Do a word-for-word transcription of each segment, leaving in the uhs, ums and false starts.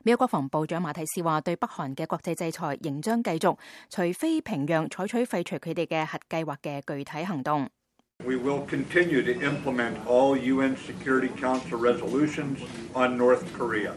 美國國防部長馬蒂斯話，對北韓嘅國際制裁仍將繼續，除非平壤採取廢除佢哋嘅核計劃嘅具體行動。We will continue to implement all U N Security Council resolutions on North Korea.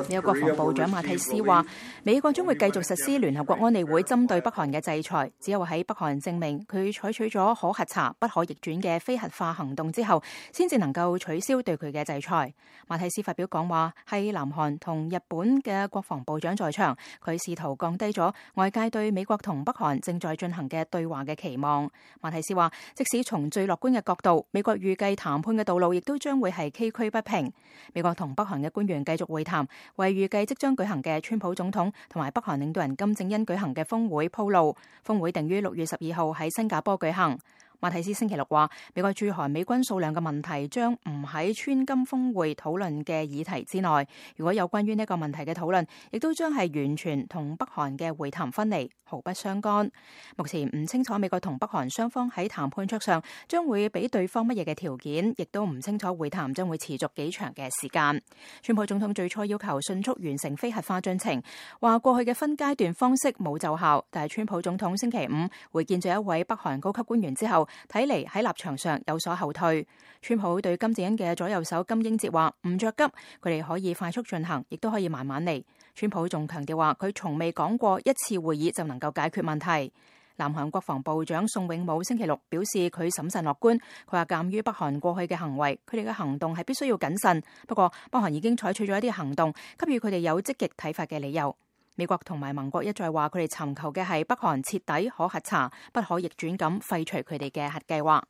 美國國防部長馬蒂斯話，美國將會繼續實施聯合國安理會針對北韓嘅制裁，只有喺北韓證明佢採取咗可核查、不可逆轉嘅非核化行動之後，先至能夠取消對佢嘅制裁。馬蒂斯發表講話係南韓同日本嘅國防部長在場，佢試圖降低咗外界對美國同北韓正在進行嘅對話嘅期望。馬蒂斯話，即使從最樂觀嘅角度，美國預計談判嘅道路亦都將會係崎嶇不平。美國同北韓嘅官員繼續會談，為預計即將舉行嘅川普總統同埋北韓領導人金正恩舉行嘅峰會鋪路。峰會定於六月十二號喺新加坡舉行。馬蒂斯星期六話，美國駐韓美軍數量嘅問題將唔喺川金峰會討論嘅議題之內。如果有關於呢個問題嘅討論，亦都將係完全同北韓嘅會談分離，毫不相干。目前唔清楚美國同北韓雙方喺談判桌上將會俾對方乜嘢嘅條件，亦都唔清楚會談將會持續幾長嘅時間。川普總統最初要求迅速完成非核化進程，話過去嘅分階段方式冇奏效，但係川普總統星期五會見咗一位北韓高級官員之後，睇嚟喺立場上有所後退。川普對金正恩嘅左右手金英哲話唔着急，佢哋可以快速進行，亦都可以慢慢嚟。川普仲強調話，佢從未講過一次會議就能夠解決問題。南韓國防部長宋永武星期六表示，佢審慎樂觀。佢話，鑑於北韓過去嘅行為，佢哋嘅行動係必須要謹慎。不過北韓已經採取咗一啲行動，給予佢哋有積極睇法嘅理由。美國同埋盟國一再話，佢哋尋求嘅係北韓徹底可核查、不可逆轉咁廢除佢哋嘅核計劃。